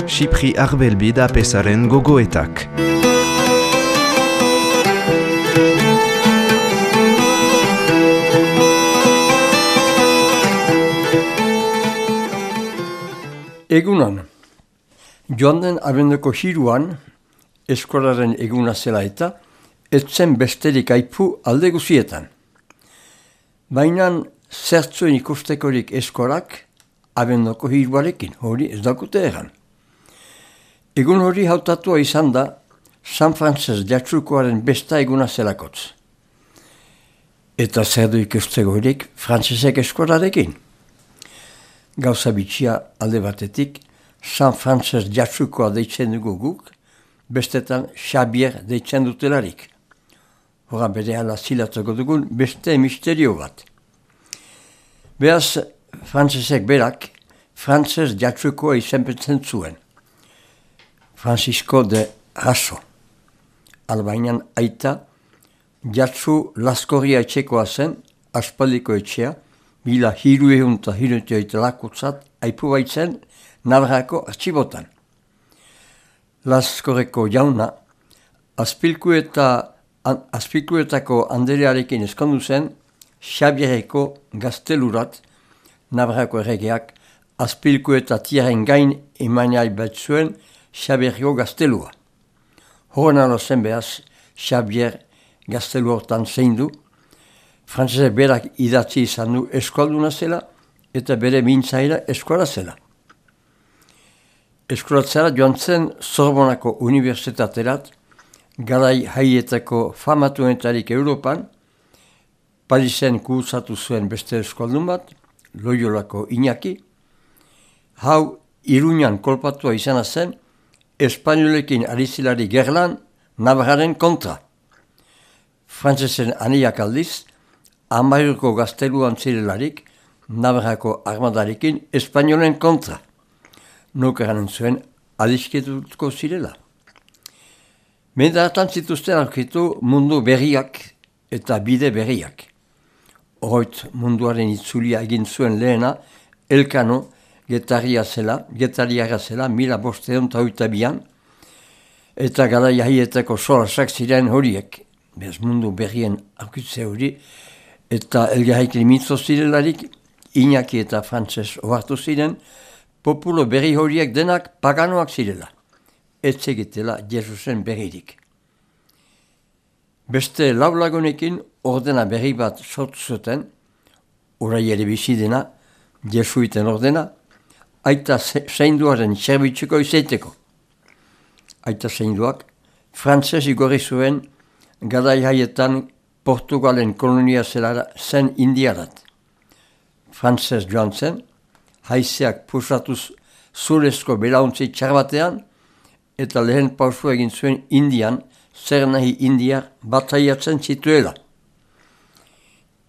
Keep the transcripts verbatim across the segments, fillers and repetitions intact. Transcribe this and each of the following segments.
Xipri Arbelbi da pesaren gogoetak. Egunan, joan den abenduko hiruan, eskolaren eguna zela eta, ez zen besterik aipu alde guzietan. Baina zertzuen ikustekorik eskolak abenduko hiruarekin, hori ez dakute egan. Egun hori hautatua izan da San Frances jatsukoaren besta eguna zelakotz. Eta zer du ikusteko horik frantzesek eskolarekin. Gauza bitxia alde batetik, San Frances jatsukoa deitzen dugu guk, bestetan Xabier deitzen dutelarik. Hora bere hala zilatuko dugun beste misterio bat. Beaz, frantzesek berak, Frances jatsukoa izenpetzen zuen. Francisco de Raso. Albainan aita, jatsu laskorria etxekoa zen, aspaldiko etxea, bila hiru ehun eta hirutioita lakutzat aipu baitzen Navarrako artxibotan. Laskorreko jauna, azpilkuetako anderearekin eskondu zen Xabierreko gaztelurat Navarrako erregeak azpilkuetatiaren gain emanai bat zuen Xabierreko gaztelua. Horren alo zen behaz, Xabier gaztelu hortan zein du, frantzesek berak idatzi izan du eskualduna zela eta bere mintzaira eskola zela. Eskolatzera joan zen Sorbonako unibertsitaterat, garai haietako famatuentarik Europan, Parisen kursatu zuen beste eskualdun bat, Loiolako Iñaki, hau Iruñan kolpatua izana zen, Espainolekin arizilari gerlan Navarraren kontra. Frantzesen aniak aldiz, Amairuko gazteluan zirelarik, Navarrako armadarekin Espainolen kontra. Nokeranen zuen adisketutko zirela. Mendaratan zituzten aurkitu mundu berriak eta bide berriak. Horret munduaren itzulia egin zuen lehena, Elkano getaria zela, getariara zela, mila bosteon eta oita bian, eta gara jaietako solasak ziren horiek, bez mundu berrien aurkitze hori, eta elgarrekin mitzo zirelarik, Iñaki eta Frantses ohartu ziren, populo berri horiek denak paganoak zirela, etzegitela Jesusen berririk. Beste laulagunekin ordena berri bat sortu zuten, orai ere bizi dena, Jesuiten ordena, aita zeinduaren zerbitzuko izaiteko. Aita zeinduak, Frantses igorri zuen garai haietan Portugalen kolonia zelara zen indiarat. Frantses joan zen, haizeak pusatuz zurezko belauntzi txarbatean, eta lehen pausu egin zuen Indian, zer nahi indiar bataiatzen zituela.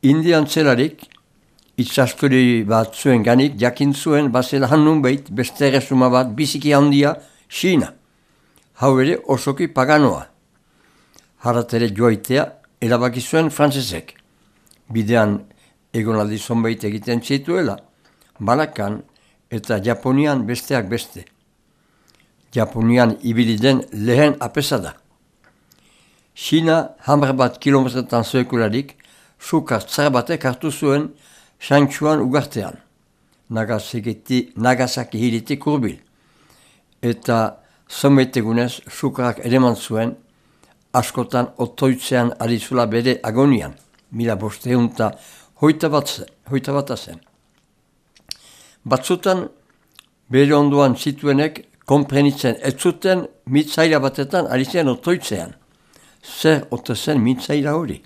Indian zelarik, itzaskori bat zuen ganik, jakin zuen bazela hannun behit beste erresuma bat biziki handia Xina. Hau ere osoki paganoa. Haratere joaitea erabaki zuen frantzesek. Bidean egonaldi zonbait egiten zituela, Balakan eta Japonian besteak beste. Japonian ibili den lehen apesada. Xina hamar bat kilometretan zoekularik, sukar tzar batek hartu zuen Santxuan ugartean, Nagasaki, Nagasaki hiritik hurbil. Eta zonbaitegunez sukarak ereman zuen, askotan otoitzean arizula bere agonian, mila bosteun eta hoita bat zen. Batzutan, bere ondoan zituenek konprenitzen ez zuten mitzaira batetan ari zen otoitzean. Zer ote zen mitzaira hori?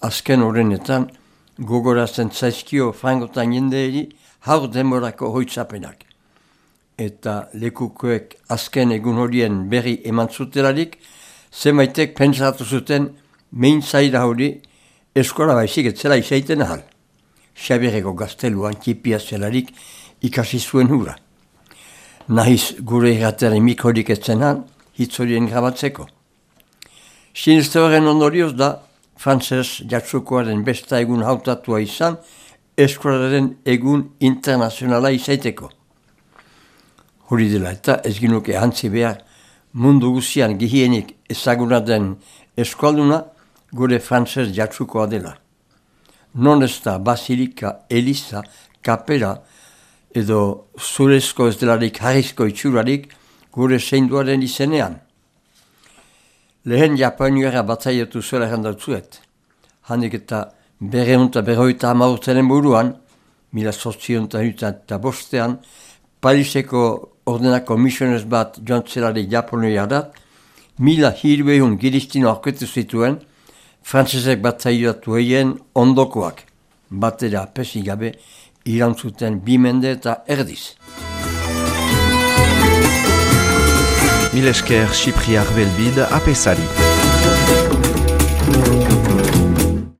Azken horrenetan, gogorazen zaizkio frangotan jendeeri haur demorako hoitzapenak. Eta lekukoek azken egun horien berri eman zutelarik, zemaitek pentsatu zuten mintzaira hori eskola baizik etzela izaiten ahal. Xabierreko gazteluan txipia zelarik ikasi zuen hura. Nahiz gure irratearen mikrorik etzenan, hitz horien grabatzeko. Siniste horren ondorioz da, Frantses jatsukoaren besta egun hautatua izan, eskolaren egun internazionala izaiteko. Hori dela eta ez ginuke antzi behar mundu guzian gehienik ezaguna den eskalduna gure frantzez jatsukoa dela. Non ez da basilika, eliza, kapera edo zurezko ez delarik harrizko itxurarik gure seinduaren izenean. Lehen Japoniara batzaiatu zuela errandautzuet. Handik eta berreunta berroita amaurtenen buruan, mila sortzionta eta bostean, Pariseko ordenako misionez bat joan zelarik Japoniarat, mila hirurehun giristino aurketu zituen, frantzesek batzaiatu egin ondokoak, batera pesi gabe irantzuten bi mende eta erdiz. Mil esker Xipriar Belbid apesari.